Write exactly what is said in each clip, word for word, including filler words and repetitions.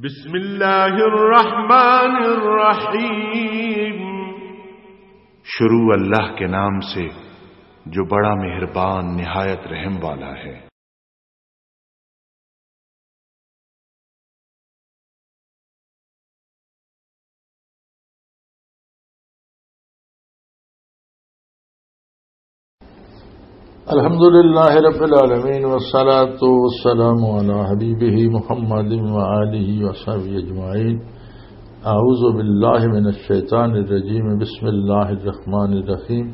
بسم اللہ الرحمن الرحیم۔ شروع اللہ کے نام سے، جو بڑا مہربان، نہایت رحم والا ہے۔ الحمد لله رب العالمين، والصلاة والسلام على حبيبه محمد وآله وصحبه أجمعين. أعوذ بالله من الشيطان الرجيم. بسم الله الرحمن الرحيم.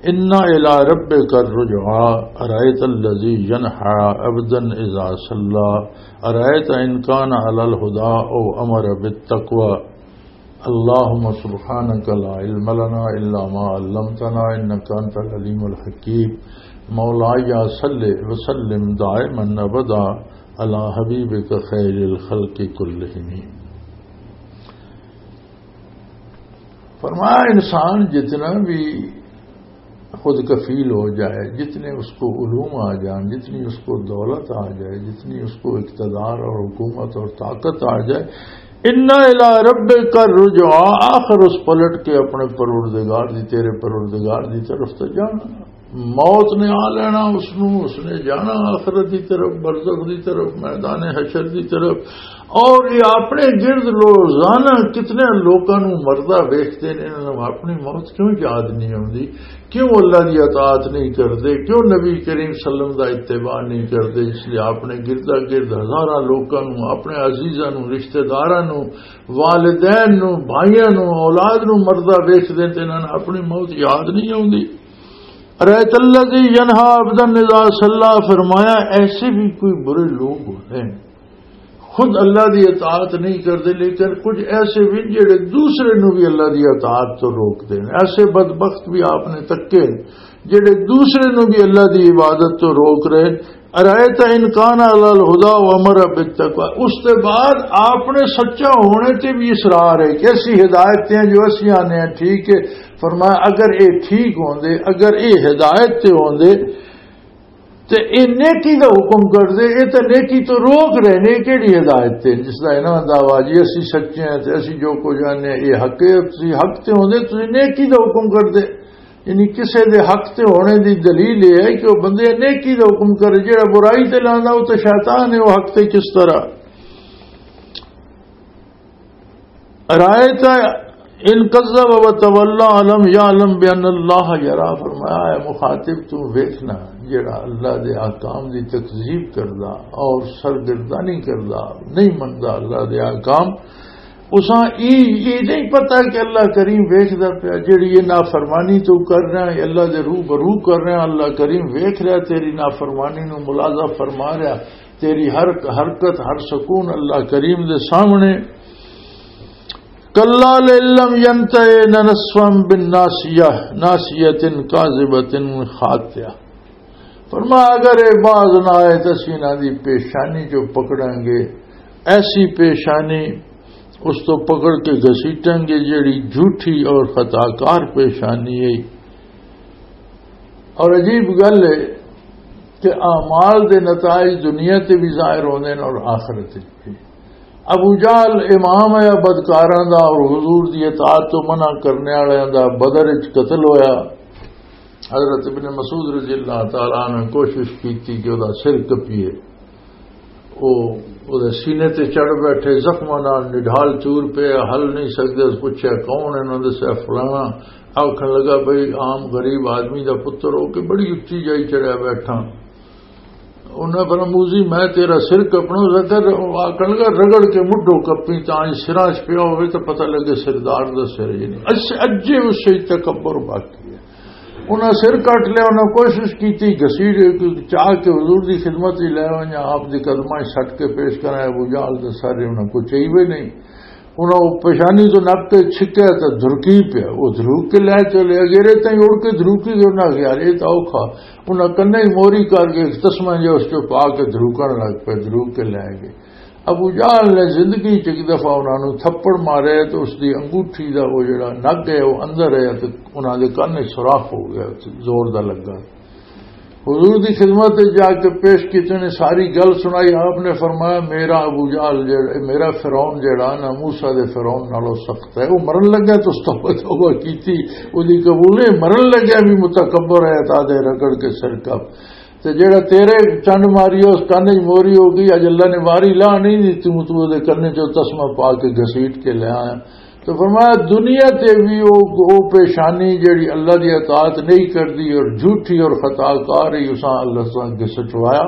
إن إلى ربك الرجعى. أرأيت الذي ينهى عبدا إذا صلى. أرأيت إن كان على الهدى أو أمر بالتقوى. اللهم سبحانك لا علم لنا إلا ما علمتنا إنك أنت العليم الحكيم. مولاي صل وسلم دائما أبدا على حبيبك خير الخلق كلهم. فرمایا، انسان جتنا بھی خود کفیل ہو جائے، جتنے اس کو علوم آ جان، جتنی اس کو دولت آ جائے، جتنی اس کو اقتدار اور حکومت اور طاقت آ جائے، انا الی ربک الرجعی، آخر اس پلٹ کے اپنے پروردگار دی، تیرے پروردگار دی طرف تے جانا۔ موت نے آ لینا اس نو، اس نے جانا آخرت دی طرف، برزخ دی طرف، میدان حشر دی طرف۔ اور یہ اپنے گرد روزانہ کتنے لوکاں نو مردہ ویکھدے نے، انہاں نوں اپنی موت کیوں یاد نہیں آوندی؟ کیوں اللہ دی اطاعت نہیں کردے؟ کیوں نبی کریم صلی اللہ علیہ وسلم دا اتباع نہیں کردے؟ اس لیے اپنے گردا گرد ہزاراں لوکاں نوں، اپنے عزیزاں نوں، رشتہ داراں نوں، والدین نوں، بھائیاں نوں، اولاد نوں مردہ ویکھدے تے انہاں نوں اپنی موت یاد نہیں آوندی۔ رأیت الذی ینہا عبدا اذا صلی، فرمایا ایسے بھی کوئی برے لوگ ہوتے ہیں، خود اللہ دی اطاعت نہیں کردے، لیکن کچھ ایسے بھی جڑے دوسرے نو بھی اللہ دی اطاعت تو روک دے۔ ایسے بدبخت بھی آپ نے تکے جڑے دوسرے نو بھی اللہ دی عبادت تو روک رہے۔ ارائیت ان کان علی الہدی و امر بالتقوی، اس تے بعد آپ نے سچا ہونے تے بھی اصرار ہے کہ اسی ہدایت تے ہیں جو اسی آنے ہیں، ٹھیک ہے۔ فرمایا اگر اے ٹھیک ہوندے، اگر اے ہدایت تے ہوندے، تے اے نیکی دا حکم کردے، اے تے نیکی تو روک رہے نے، اے کیڑی ہدایت تے؟ جس دا انہاں دا دعویٰ جی اسی سچے ہیں تے اسی جو کچھ جانے ہیں، اے حق ہے، تسی حق تے ہوندے، تسی نیکی دا حکم کردے۔ یعنی کسے دے حق تے ہونے دی دلیل اے ہے کہ وہ بندے نیکی دا حکم کرے، جڑا برائی تے لاندا، وہ تے شیطان ہے، وہ حق تے کس طرح؟ رأیت ان کذب و تولی الم یعلم بان اللہ یری۔ فرمایا، اے مخاطب، تو ویکھنا جڑا اللہ دے احکام دی تکذیب کردا اور سرگردانی کردا، نہیں مندا اللہ دے احکام، اساں ای، ای نہیں پتا کہ اللہ کریم ویکھدا پیا، جڑی یہ نافرمانی تو کر رہا ہے، اللہ دے روبرو کر رہا ہے، اللہ کریم ویکھ رہا ہے، تیری نافرمانی نو ملاحظہ فرما رہا، تیری ہر حرکت، ہر سکون اللہ کریم دے سامنے۔ کلا لئن لم ینتہ لنسفعا بالناصیہ، ناصیۃ کاذبۃ خاطئہ۔ فرمایا، اگر یہ باز نہ آئے تو اسی انہاں دی پیشانی جو پکڑیں گے، ایسی پیشانی اس تو پکڑ کے گھسیٹیں گے جڑی جھوٹی اور خطا کار پیشانی ہے۔ اور عجیب گل ہے کہ اعمال دے نتائج دنیا تے بھی ظاہر ہوندے نے اور آخرت وچ بھی۔ ابو جہل امام ہے بدکاراں دا اور حضور دی اطاعت تو منع کرنے والے دا، بدر وچ قتل ہویا۔ حضرت ابن مسعود رضی اللہ تعالیٰ عنہ کوشش کیتی کہ او دا سر کپیے۔ او، او دے سینے تے چڑھ بیٹھے، زخماں نال نڈھال چور پے، ہل نہیں سکدے۔ اس پوچھیا، "کون ہے؟" انہاں دسیا، "فلانا۔" آکھن لگا، "بھئی، عام غریب آدمی دا پتر ہو کے بڑی اچی جائی چڑھیا بیٹھا۔" انہاں فرمایا، "موذی، میں تیرا سر کپنا۔" ذکر آکھن لگا، "رگڑ کے مڈھو کپی، تاں جو سراں چ پیا ہوئے تو پتہ لگے سردار دا سر ہی نہیں۔" اس اجے اس سے تکبر باقی ہے۔ انہاں سر کٹ لیا، انہاں کوشش کیتی گھسیٹ چاہ کے حضور دی خدمت وچ لے آئے، آپ دے قدماں وچ سٹ کے پیش کرائے۔ ابو جہل دے سارے انہاں کو چاہیے نہیں۔ انہاں او پیشانی تو نپ کے چھکیا تے دھرکی پیا، او دھروک کے لے چلے۔ اگیرے تائیں اڑ کے دھروکی گئے، انہاں آکھیا، "یار، اے تاں اوکھا۔" انہاں کنے ہی موری کر کے ایک تسمہ جہا اس چوں پا کے دھروکن لگ پے، دھروک کے لے گئے۔ ابو جہل نے زندگی چ ایک دفعہ انہاں نوں تھپڑ مارے تے اس دی انگوٹھی دا او جڑا نگ ہے، او اندر ہے تے انہاں دے کن وچ سوراخ ہو گیا، زور دا لگا۔ حضور دی خدمت وچ جا کے پیش کیتے نے، ساری گل سنائی۔ آپ نے فرمایا، میرا ابو جہل جڑا، میرا فرعون جڑا نا، موسیٰ دے فرعون نالوں سخت ہے۔ وہ مرن لگا تو اس توبہ، توبہ کیتی، وہ دی قبول نہیں۔ مرن لگا بھی متکبر ہے، تا دے رگڑ کے سر کپ۔ تے جڑا تیرے چنڈ ماری، اس کن وچ موری ہو گئی، اج اللہ نے واری لا نہیں دی، تو تو دے کنے چوں تسمہ پا کے گھسیٹ کے لے آیا۔ تو فرمایا، دنیا تے بھی او، او پیشانی جڑی اللہ دی اطاعت نہیں کردی اور جھوٹی اور خطا کار ہی، اساں اللہ سان کے سچوایا۔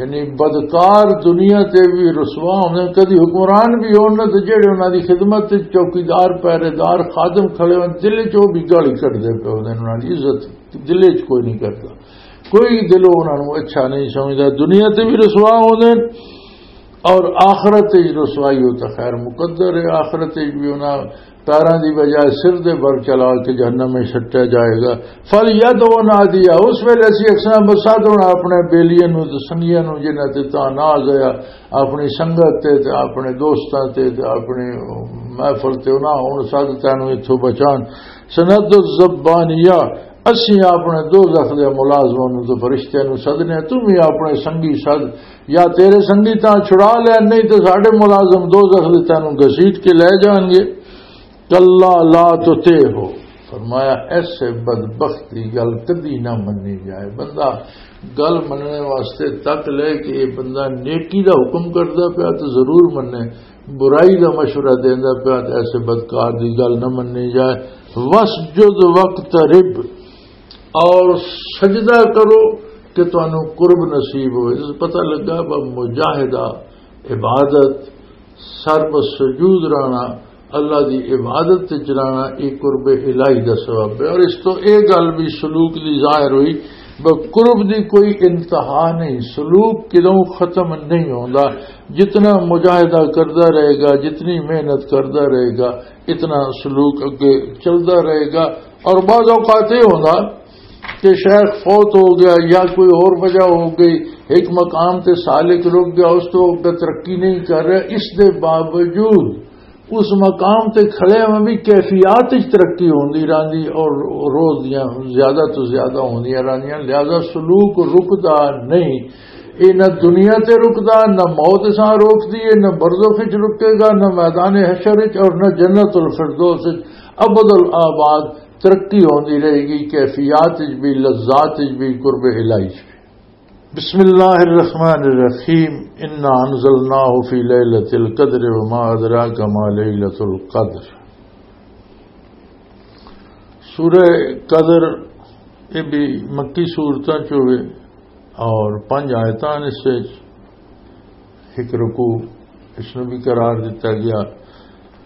یعنی بدکار دنیا تے بھی رسوا ہوندے، کدی حکمران بھی ہون نہ، تے جڑے انہاں دی خدمت تے چوکیدار، پہرے دار، خادم کھڑے ہون، دل چ او بھی گالی کڈدے پے ہوندے، انہاں دی عزت دل چ کوئی نہیں کردا، کوئی دلوں انہاں نوں اچھا نہیں سمجھدا۔ دنیا تے بھی رسوا ہوندے، اور آخرت وچ رسوائی ہو تو خیر مقدر ہے، آخرت وچ بھی انہاں پیراں دی بجائے سر دے بل چلا کے جہنم میں سٹیا جائے گا۔ فَلْيَدْعُ نَادِيَهُ، اس ویلے اسی اکثر بسا دونا اپنے بیلیاں نوں تے سنگیاں نوں، جنہاں تے تاں ناز ہویا، اپنی سنگت تے، تے اپنے دوستاں تے، تے اپنی محفل تے، انہاں ہن سد تینوں اتھوں بچان۔ سند الزبانیہ، اسی اپنے دوزخ دے ملازماں نوں تے فرشتیاں نوں سدنے، تم بھی اپنے سنگی سد، یا تیرے سنگی تاں چھڑا لے، نہیں تے ساڈے ملازم دوزخ دے تینوں گھسیٹ کے لے جان گے۔ کلا لا تطعہ، فرمایا ایسے بدبخت دی گل کدی نہ منی جائے۔ بندہ گل مننے واسطے تک لے کہ یہ بندہ نیکی دا حکم کردا پیا تو ضرور منے، برائی دا مشورہ دیندا پیا تو ایسے بدکار دی گل نہ منی جائے۔ وسجد وقترب، اور سجدہ کرو کہ تانوں قرب نصیب ہوئے۔ اس پتہ لگا با مجاہدہ، عبادت، سر پر سجود رہنا، اللہ دی عبادت تے چلانا، یہ قرب الہی دا سبب ہے۔ اور اس تو یہ گل بھی سلوک دی ظاہر ہوئی، بس قرب دی کوئی انتہا نہیں، سلوک کدوں ختم نہیں ہوندا۔ جتنا مجاہدہ کردا رہے گا، جتنی محنت کردا رہے گا، اتنا سلوک اگے چلدا رہے گا۔ اور بعض اوقات یہ ہوندا کہ شیخ فوت ہو گیا یا کوئی اور وجہ ہو گئی، ایک مقام تے سالک رک گیا، اس تو اگے ترقی نہیں کر رہا، اس دے باوجود اس مقام تے کھڑے میں بھی کیفیات وچ ترقی ہوندی رہندی اور روز دیاں زیادہ تو زیادہ ہوندیاں رہندیاں، لہذا سلوک رکدا نہیں۔ یہ نہ دنیا تے رکدا، نہ موت سان روکدی ہے، نہ برزخ وچ رکے گا، نہ میدان حشر وچ اور نہ جنت الفردوس وچ۔ ابد الآباد ترقی ہوندی رہے گی، کیفیات وچ بھی، لذات وچ بھی، قرب الہی وچ بھی۔ بسم اللہ الرحمن الرحیم، انا انزلناہ فی لیلۃ القدر وما ادراک ما لیلۃ القدر۔ سورہ قدر، یہ بھی مکی سورتاں چوے اور پنج آیتاں اس وچ، ایک رکوع اس نو بھی قرار دتا گیا۔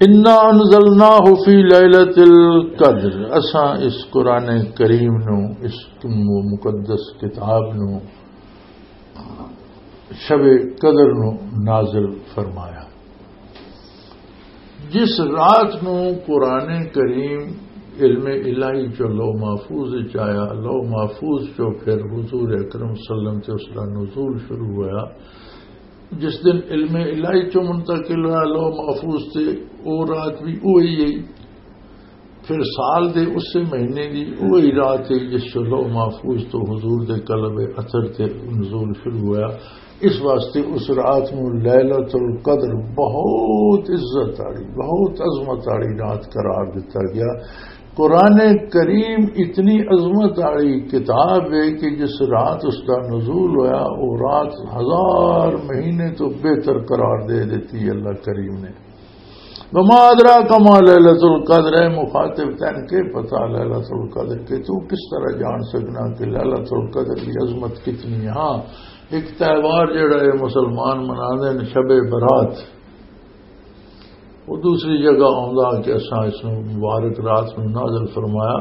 انا انزلناہ فی لیلۃ القدر، اساں اس قرآن کریم نو، اس م-، مقدس کتاب نو شب قدر نو نازل فرمایا۔ جس رات نو قرآن کریم علم الہی چو لوح محفوظ وچ آیا، لوح محفوظ چو پھر حضور اکرم صلی اللہ علیہ وسلم تے اس دا نزول شروع ہویا، جس دن علم الہی چو منتقل ہوا لوح محفوظ تے، او رات بھی اوہی ہے۔ پھر سال دے اسے مہینے دی اوہی رات ہے جس چو لوح محفوظ تو حضور دے قلب اثر تے نزول شروع ہوا۔ اس واسطے اس رات نو لیلۃ القدر بہت عزت والی، بہت عظمت والی رات قرار دتا گیا۔ قرآن کریم اتنی عظمت والی کتاب ہے کہ جس رات اس دا نزول ہویا، وہ رات ہزار مہینے تو بہتر قرار دے دیتی اللہ کریم نے۔ وما ادراک ما لیلۃ القدر، اے مخاطب، تین کے پتا لیلۃ القدر کے؟ تو کس طرح جان سکنا کہ لیلۃ القدر کی عظمت کتنی ہے؟ ہاں، ایک تہوار جڑا ہے مسلمان مناندے نے، شب برات، وہ دوسری جگہ آندا کہ اساں اس نو مبارک رات نو نازل فرمایا۔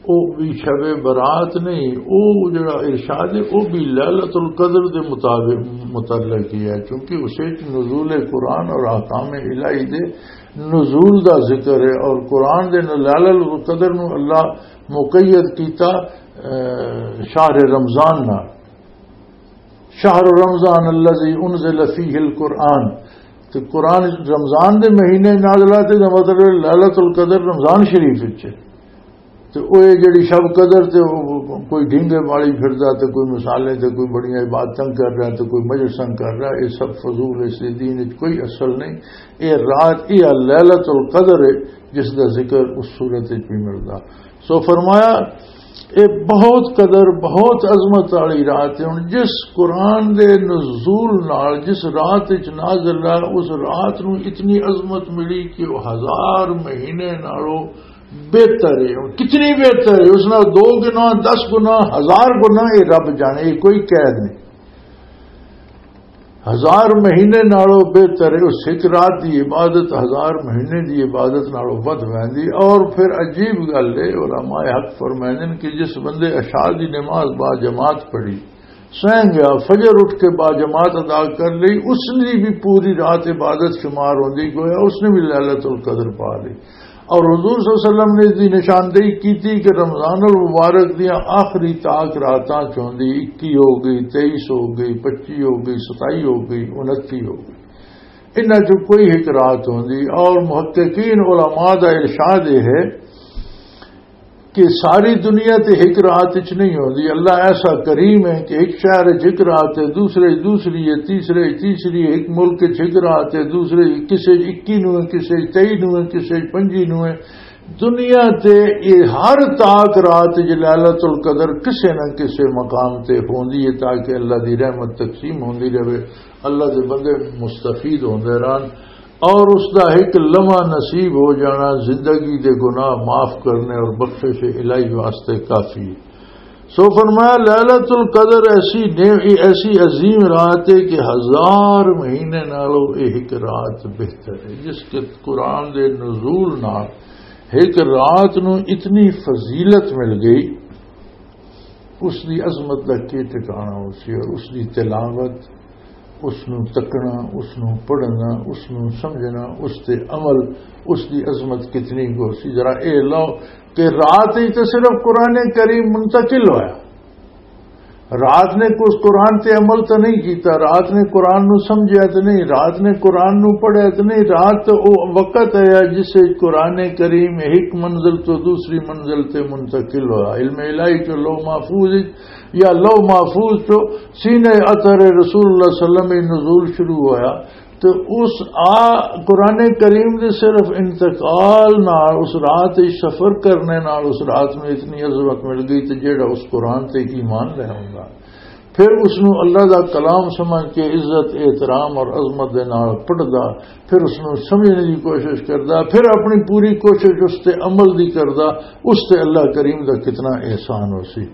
او بھی شب برات نہیں، او جڑا ارشاد ہے، او بھی لیلۃ القدر دے مطابق، متعلق ہی ہے، کیونکہ اسے وچ نزول قرآن اور احکام الہی دے نزول دا ذکر ہے، اور قرآن دے نال لیلۃ القدر نو اللہ مقید کیتا، اے، شہر رمضان نال۔ شہر رمضان الذی انزل فیہ القرآن، تے قرآن رمضان دے مہینے نازل ہویا، تے مطلب لیلۃ القدر رمضان شریف وچ ہے۔ تے او اے جڑی شب قدر تے او کوئی ڈھینگے والی پھردا، تے کوئی مصالے، تے کوئی بڑیاں عبادتاں کر رہا، تے کوئی مجلساں کر رہا، اے سب فضول، اس دے دین وچ کوئی اصل نہیں۔ اے رات، اے لیلۃ القدر ہے، جس دا ذکر اس سورت وچ بھی ملدا۔ سو فرمایا، اے بہت قدر، بہت عظمت والی رات ہے۔ ہن جس قرآن دے نزول نال، جس رات وچ نازل ہے، اس رات نو اتنی عظمت ملی کہ وہ ہزار مہینے نالوں بہتر ہے۔ ہن کتنی بہتر ہے؟ اس نال دو گنا، دس گنا، ہزار گنا، یہ رب جانے، یہ کوئی قید نہیں۔ ہزار مہینے نالوں بہتر ہے۔ اس ایک رات دی عبادت ہزار مہینے دی عبادت نالوں ودھ ویندی۔ اور پھر عجیب گل ہے، علماء حق فرمائندے نے کہ جس بندے عشاء دی نماز با جماعت پڑھی، سہن گیا، فجر اٹھ کے با جماعت ادا کر لی، اس نے بھی پوری رات عبادت شمار ہوندی، گویا اس نے بھی لیلۃ القدر پا لی۔ اور حضور صلی اللہ علیہ وسلم نے اس دی نشاندہی کیتی کہ رمضان المبارک دیاں آخری تاک راتاں چ ہوندی، اکی ہو گئی، تئیس ہو گئی، پچی ہو گئی، ستائی ہو گئی، انتی ہو گئی، انہاں چ کوئی ایک رات ہوندی۔ اور محققین علماء دا ارشاد یہ ہے کہ ساری دنیا تے ایک رات وچ نہیں ہوندی۔ اللہ ایسا کریم ہے کہ ایک شہر وچ ایک رات ہے، دوسرے وچ دوسری ہے، تیسرے وچ تیسری ہے، ایک ملک وچ ایک رات ہے، دوسرے وچ کسے وچ اکی نو ہے، کسے وچ تئی نو ہے، کسے وچ پنجی نو ہے۔ دنیا تے یہ ہر تاک رات وچ لیلۃ القدر کسے نہ کسے مقام تے ہوندی ہے، تاکہ اللہ دی رحمت تقسیم ہوندی رہے، اللہ دے بندے مستفید ہوندے رہن۔ اور اس دا ایک لمحہ نصیب ہو جانا زندگی دے گناہ معاف کرنے اور بخشش الہی واسطے کافی ہے۔ سو فرمایا، لیلۃ القدر ایسی نعم-، ایسی عظیم رات ہے کہ ہزار مہینے نالوں ایک رات بہتر ہے۔ جس کے قرآن دے نزول نال ایک رات نو اتنی فضیلت مل گئی، اس دی عظمت دا کی ٹھکانہ ہو سی، اور اس دی تلاوت، اس نو تکنا، اس نو پڑھنا، اس نو سمجھنا، اس تے عمل، اس دی عظمت کتنی ہو سی۔ ذرا اے لو کہ رات ہی تے صرف قرآن کریم منتقل ہویا، رات نے اس قرآن تے عمل تو نہیں کیتا، رات نے قرآن نو سمجھیا تو نہیں، رات نے قرآن نو پڑھیا تو نہیں۔ رات تو او وقت ہے جس وچ قرآن کریم ایک منزل تو دوسری منزل تے منتقل ہوا۔ علم الہی چو لوح محفوظ وچ، یا لوح محفوظ چو سینہ اطہر رسول اللہ صلی اللہ علیہ وسلم وچ نزول شروع ہویا۔ تو اس آ قرآن کریم دے صرف انتقال نال، اس رات وچ سفر کرنے نال اس رات نو اتنی عظمت مل گئی، تے جیڑا اس قرآن تے ایمان لے آوندا، پھر اس نو اللہ دا کلام سمجھ کے عزت، احترام اور عظمت دے نال پڑھدا، پھر اس نو سمجھنے دی کوشش کردا، پھر اپنی پوری کوشش اس تے عمل دی کردا، اس تے اللہ کریم دا کتنا احسان ہو سی۔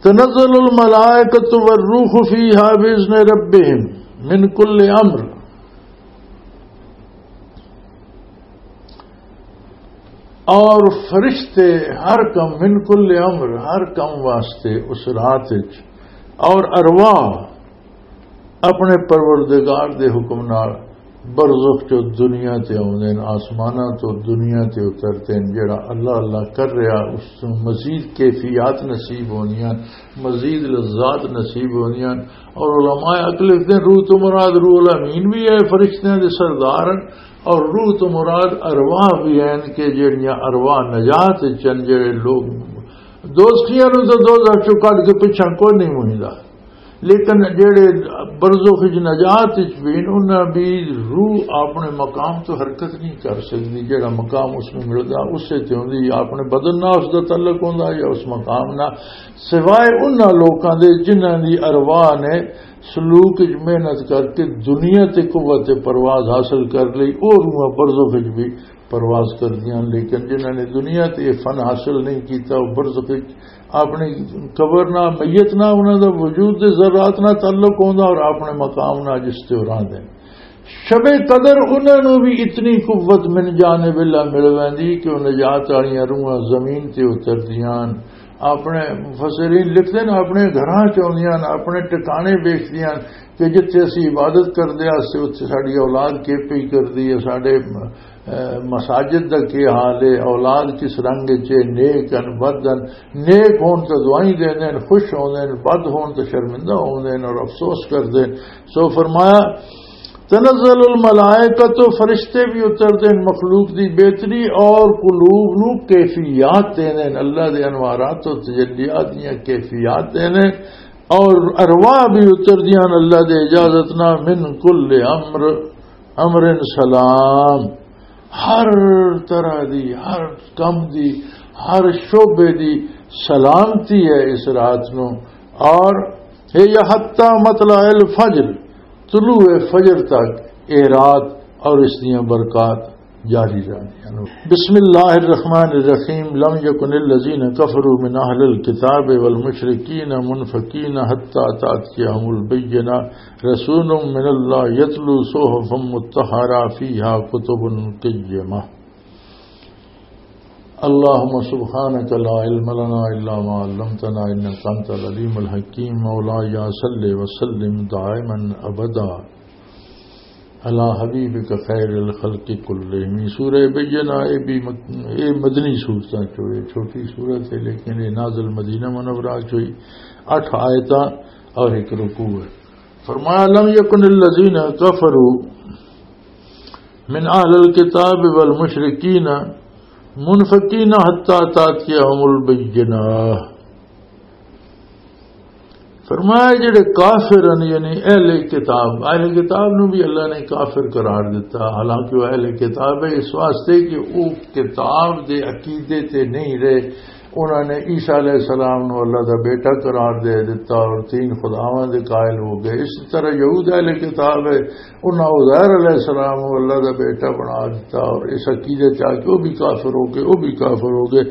تنزل الملائکۃ والروح فیہا بإذن ربہم من کل امر۔ اور فرشتے ہر کم، من کل امر، ہر کم واسطے اس رات وچ، اور ارواح اپنے پروردگار دے حکم نال برزخ چو دنیا تے آوندے نے، آسماناں تو دنیا تے اترتے ہیں۔ جڑا اللہ اللہ کر رہا، اس نوں مزید کیفیات نصیب ہوندیاں، مزید لذات نصیب ہوندیاں۔ اور علماء حق لکھتے ہیں، روح تو مراد روح الامین بھی ہے، فرشتیاں دے سردار ہیں، اور روح تو مراد ارواح بھی ہیں کہ جڑیاں ارواح نجات چن، جڑے لوگ دوزخیاں نوں تو دوزخ چوں کڈ کے پچھاں کوئی نہیں مہندا، لیکن جڑے برزخ وچ نجات وچ بھی ہن، انہاں بھی روح اپنے مقام تو حرکت نہیں کر سکدی۔ جڑا مقام اس نوں ملدا، اسے تے ہوندی، اپنے بدن نال اس دا تعلق ہوندا یا اس مقام نال، سوائے انہاں لوکاں دے جنہاں دی ارواح نے سلوک وچ محنت کر کے دنیا تے قوت پرواز حاصل کر لئی، او روحاں برزخ وچ بھی پرواز کردیاں، لیکن جنہاں نے دنیا تے یہ فن حاصل نہیں کیتا، وہ برزخ وچ اپنی قبر نہ، میت نہ، انہاں دا وجود دے ذرات نہ تعلق ہوندا اور اپنے مقام نہ جس تے وہ رہندے نے۔ شب قدر انہاں نوں بھی اتنی قوت من جانب اللہ مل ویندی کہ وہ نجات والیاں روحاں زمین تے اتردیاں، اپنے مفسرین لکھدے نے، اپنے گھراں چ آوندیاں، اپنے ٹکانے ویکھدیاں کہ جتھے اسی عبادت کردے آسے، اتھے ساڈی اولاد کے پئی کردی ہے، ساڈے، اے، مساجد دا کی حال ہے، اولاد کس رنگ وچ ہے، نیک ہن، بد ہن، نیک ہون تے دعائیں دیندے ہن، خوش ہوندے ہن، بد ہون تے شرمندہ ہوندے ہن اور افسوس کردے ہن۔ سو فرمایا، تنزل الملائکۃ، فرشتے بھی اتردے ہیں مخلوق دی بہتری اور قلوب نو کیفیات دیندے ہیں، اللہ دے انوارات و تجلیات دیاں کیفیات دیندے ہیں، اور ارواح بھی اتردیاں ہیں اللہ دے اجازت نال، من کل امر، امر سلام، ہر طرح دی، ہر کم دی، ہر شعبے دی سلامتی ہے اس رات نو۔ اور یہ حتی مطلع الفجر، طلوع فجر تک یہ رات اور اس دیاں برکات جاری رہنیاں۔ بسم اللہ الرحمن الرحیم۔ لم یکن الذین کفروا من اہل الکتاب والمشرکین منفکین حتی تأتیہم البینہ۔ رسول من اللہ یتلو صحفا مطہرہ فیہا کتب قیمہ۔ اللهم سبحانك لا علم لنا إلا ما علمتنا إنك أنت العليم الحكيم۔ مولاي صل وسلم دائما أبدا على حبيبك خير الخلق كلهم۔ سورہ بینہ، اے بھی مک-، اے مدنی سورتاں چوں، اے چھوٹی سورت ہے، لیکن اے نازل مدینہ منورہ چوں ہی، اٹھ آیتاں اور ایک رکوع ہے۔ فرمایا، لم یکن الذین کفروا من اہل الکتاب والمشرکین منفکین حتی تاتیہم البینہ۔ فرمایا، جڑے کافر ہیں، یعنی اہل کتاب، اہل کتاب نو بھی اللہ نے کافر قرار دیتا، حالانکہ وہ اہل کتاب ہے، اس واسطے کہ وہ کتاب دے عقیدے تے نہیں رہے۔ انہاں نے عیسیٰ علیہ السلام نو اللہ دا بیٹا قرار دے دتا اور تین خداواں دے قائل ہو گئے۔ اسی طرح یہود اہل کتاب ہے، انہاں عزیر علیہ السلام نو اللہ دا بیٹا بنا دتا اور اس عقیدے چ آ کے وہ بھی کافر ہو گئے، وہ بھی کافر ہو گئے۔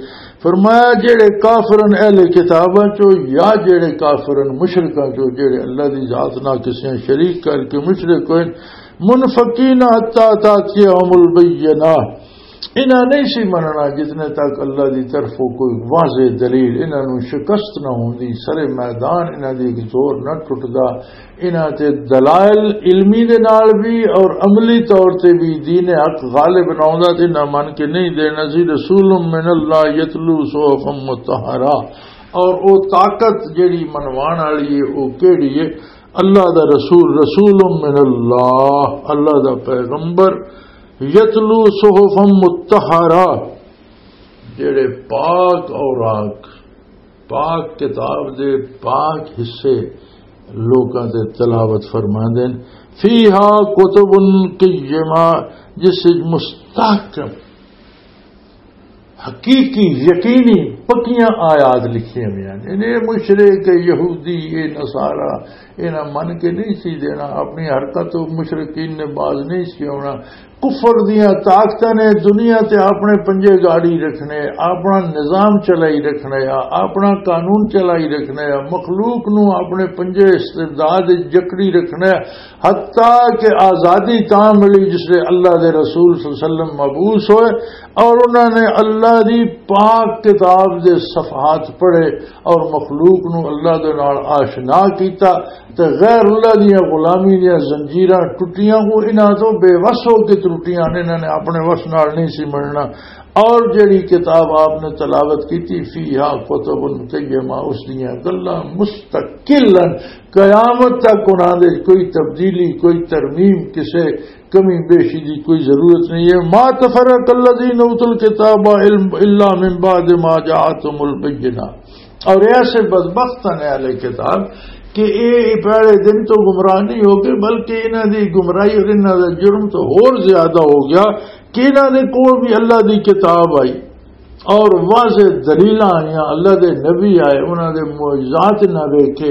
فرمایا، جڑے کافرن اہل کتاباں چو یا جڑے کافرن مشرکاں چو، جڑے اللہ دی ذات نال کسے شریک کر کے مشرک ہوئے، منفقین حتی تاتیہم البینہ، انہاں نہیں سی مننا جتنے تک اللہ دی طرفوں کوئی واضح دلیل انہاں نوں شکست نہ ہوندی، سر میدان انہاں دی ایک زور نہ ٹوٹدا۔ انہاں تے دلائل علمی دے نال بھی اور عملی طور تے بھی دین حق غالب نہ ہوندا تے انہاں من کے نہیں دینا سی۔ رسول من اللہ یتلو صحفا مطہرہ، اور او طاقت جڑی منوان والی ہے، او کیڑی ہے؟ اللہ دا رسول، رسول من اللہ، اللہ دا پیغمبر، یتلو صحفا مطہرہ، جڑے پاک اوراق، پاک کتاب دے پاک حصے لوکاں تے تلاوت فرماندے نے۔ فیہا کتب قیمہ، جس وچ مستحکم، حقیقی، یقینی، پکیاں آیات لکھیاں ہوئیاں نے۔ یعنی اے مشرک، اے یہودی، اے نصارہ، انہاں من کے نہیں سی دینا، اپنی حرکت و مشرکین نے باز نہیں سی ہونا۔ کفر دیاں طاقتاں نے دنیا تے اپنے پنجے گاڑی رکھنے، اپنا نظام چلائی رکھنا، اپنا قانون چلائی رکھنا، مخلوق نو اپنے پنجے استبداد وچ جکڑی رکھنا، حتیٰ کہ آزادی تاں ملی جس لئے اللہ دے رسول صلی اللہ علیہ وسلم مبعوث ہوئے اور انہاں نے اللہ دی پاک کتاب دے صفحات پڑھے اور مخلوق نو اللہ دے نال آشنا کیتا۔ تے غیر اللہ دیاں غلامی دیاں زنجیراں ٹوٹیاں، وہ انہاں تو بے وس ہو کے ترٹیاں نے، انہاں نے اپنے وس نال نہیں سی مننا۔ اور جڑی کتاب آپ نے تلاوت کیتی، فیہا کتب قیمہ، اس دیاں گلاں مستقل ہیں، قیامت تک انہاں دے کوئی تبدیلی، کوئی ترمیم، کسے کمی بیشی دی کوئی ضرورت نہیں ہے۔ ما تفرق الذین اوتوا الکتاب الا من بعد ما جاءتهم البینہ۔ اور ایسے بدبخت ہیں اہل کتاب کہ اے پہلے دن تو گمراہ نہیں ہو گئے، بلکہ انہاں دی گمراہی اور انہاں دا جرم تو ہور زیادہ ہو گیا کہ انہاں دے کول بھی اللہ دی کتاب آئی اور واضح دلیلاں آئیاں، اللہ دے نبی آئے، انہاں دے معجزات نہ ویکھے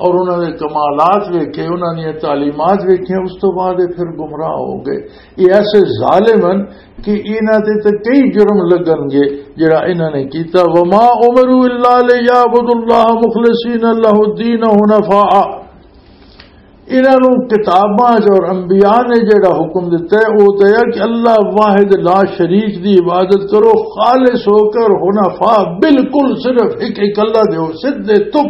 اور انہاں دے کمالات ویکھے، انہاں دیاں تعلیمات ویکھیاں، اس تو بعد یہ پھر گمراہ ہو گئے۔ یہ ایسے ظالم ہیں کہ انہاں تے تے کئی جرم لگن گے جڑا انہاں نے کیتا۔ وما امروا الا لیعبدوا اللہ مخلصین لہ الدین حنفاء۔ انہاں نوں کتاباں چ اور انبیاء نے جڑا حکم دتا ہے، وہ تو ہے کہ اللہ واحد لا شریک دی عبادت کرو، خالص ہو کر، حنفاء، بالکل صرف ایک، ایک اللہ دے ہو، سدھے تک،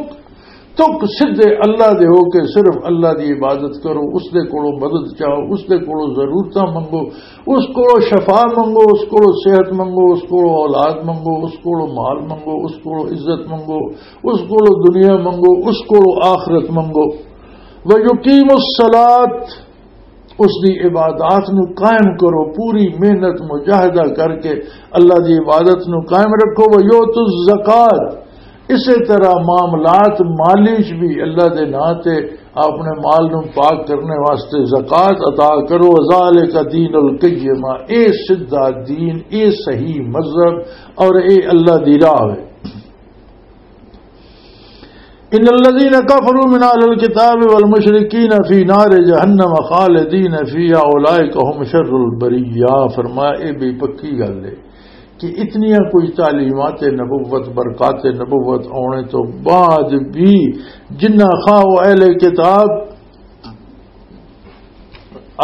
تک سدھے اللہ دے ہو کے صرف اللہ دی عبادت کرو، اس دے کولوں مدد چاہو، اس دے کولوں ضرورتاں منگو، اس کولوں شفا منگو، اس کولوں صحت منگو، اس کولوں اولاد منگو، اس کولوں مال منگو، اس کولوں عزت منگو، اس کولوں دنیا منگو، اس کولوں آخرت منگو۔ وَيُقِيمُوا الصَّلَاةَ، اس دی عبادات نو قائم کرو، پوری محنت مجاہدہ کر کے اللہ دی عبادت نو قائم رکھو۔ وَيُؤْتُوا الزَّكَاةَ، اسی طرح معاملات مالی چ بھی اللہ دے ناں تے اپنے مال نو پاک کرنے واسطے زکوٰۃ عطا کرو۔ وَذَٰلِكَ دِينُ الْقَيِّمَةِ، اے سدھا دین، اے صحیح مذہب اور اے اللہ دی راہ ہے۔ ان الذين كفروا من اهل الكتاب والمشركين في نار جهنم خالدين فيها اولئك هم شر البريه۔ فرمایا، اے بے پکی گل ہے کہ اتنیاں کوئی تعلیمات نبوت، برکات نبوت آنے تو بعد بھی جنہ خواہ و اہل کتاب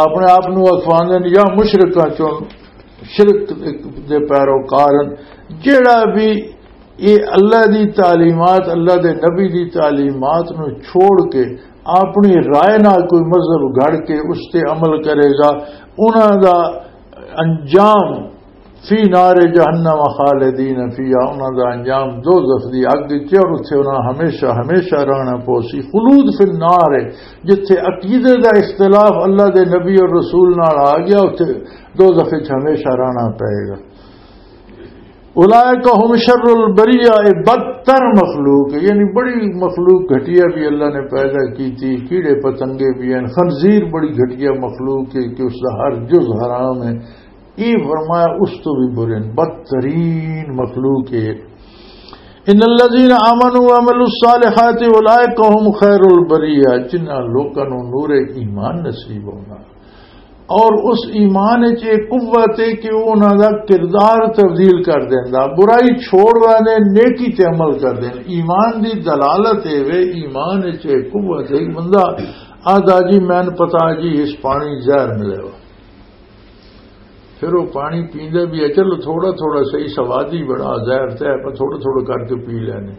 اپنے آپ نو اخواندے نے یا مشرکاں چوں، شرک دے پیروکار ہن، جیڑا بھی یہ اللہ دی تعلیمات، اللہ دے نبی دی تعلیمات نو چھوڑ کے اپنی رائے نال کوئی مذہب گھڑ کے اس تے عمل کرے گا، انہاں دا انجام فی نار جہنم خالدین فیہا، انہاں دا انجام دوزخ دی اگ وچ ہے اور اتھے انہاں ہمیشہ، ہمیشہ رہنا پوسی۔ خلود فی النار ہے، جتھے عقیدے دا اختلاف اللہ دے نبی اور رسول نال آ گیا، اتھے دوزخ وچ ہمیشہ رہنا پئے گا۔ اولئک هم شر البریہ، اے بدتر مخلوق ہے، یعنی بڑی مخلوق گھٹیا بھی اللہ نے پیدا کی تھی، کیڑے پتنگے بھی ہیں، خنزیر بڑی گھٹیا مخلوق ہے کہ اس دا ہر جز حرام ہے۔ یہ فرمایا اس تو بھی برے ہیں، بدترین مخلوق ہے۔ ان الذين آمنوا وعملوا الصالحات اولئک هم خیر البریہ، جنہاں لوکاں نوں نور ایمان نصیب ہونا اور اس ایمان وچ یہ قوت ہے کہ وہ انہاں دا کردار تبدیل کر دیندا، برائی چھوڑ دے، نیکی تے عمل کر دین۔ ایمان دی دلالت اے وے، ایمان وچ یہ قوت ہے کہ بندہ آدھا جی میں پتا جی اس پانی زہر ملے ہو، پھر وہ پانی پیندا بھی ہے، چلو تھوڑا تھوڑا صحیح، سوادی بڑا، زہر تے ہے، پر تھوڑا تھوڑا کر کے پی لینے۔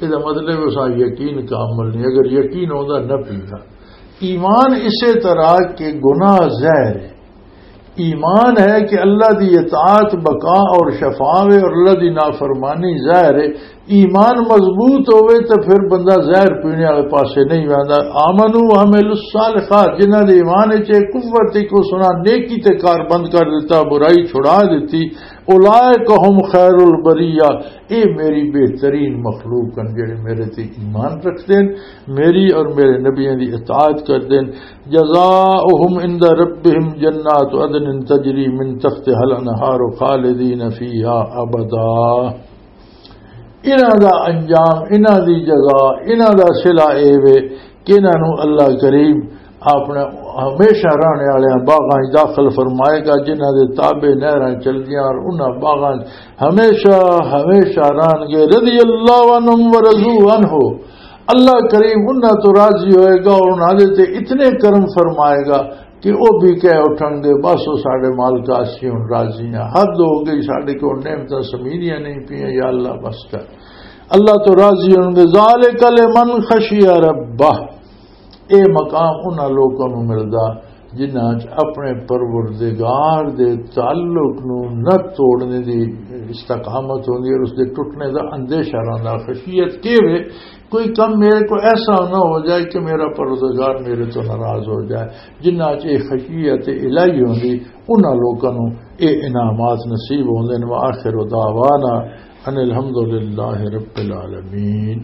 یہ مطلب ہے اس یقین کا عمل نہیں، اگر یقین ہوتا نہ پیندا۔ ایمان اسے طرح کہ گناہ زہر ہے۔ ایمان ہے کہ اللہ دی اطاعت، بقا اور شفا وے اور اللہ دی نافرمانی زہر ہے۔ ایمان مضبوط ہوئے تو پھر بندہ زہر پینے والے پاسے نہیں ویندا۔ آمنو وعملوا الصالحات، جنہاں دے ایمان وچ ایک قوت تھی کہ اس نے نیکی تے کار بند کر دیتا، برائی چھڑا دیتی، اولئک هم خیر البریہ، اے میری بہترین مخلوق ہیں جڑے میرے تے ایمان رکھتے ہیں، میری اور میرے نبیوں دی اطاعت کرتے ہیں۔ جزاؤہم عند ربہم جنات عدن تجری من تحتها الانہار خالدین فیہا ابدا۔ انہاں دا انجام، انہاں دی جزا، انہاں دا صلہ اے وے کہ انہاں نوں اللہ کریم اپنا ہمیشہ رہنے والے باغاں وچ داخل فرمائے گا، جنہاں دے تابع نہراں چلدیاں اور انہاں باغاں وچ ہمیشہ، ہمیشہ رہن گے۔ رضی اللہ عنہم ورضوا عنہ، اللہ کریم انہاں تو راضی ہوئے گا اور انہاں دے تے اتنے کرم فرمائے گا کہ وہ بھی کہہ اٹھن گے، بس وہ ساڈے مالک، اسی ہن راضی ہاں، حد ہو گئی، ساڈے کول نعمتاں سمیریاں نہیں پیاں، یا اللہ بس کر۔ اللہ تو راضی ہون گے۔ ذالک لمن خشی ربہ، اے مقام انہاں لوکاں نوں ملدا جنہاں چ اپنے پروردگار دے تعلق نوں نہ توڑنے دی استقامت ہوندی ہے اور اس دے ٹوٹنے دا اندیشہ رہندا۔ خشیت کی وے؟ کوئی کم میرے کو ایسا نہ ہو جائے کہ میرا پروردگار میرے تو ناراض ہو جائے۔ جنہاں چ اے خشیت الہی ہوندی، انہاں لوکاں نوں اے انعامات نصیب ہوندے نے۔ وآخر دعوانا ان الحمدللہ رب العالمین۔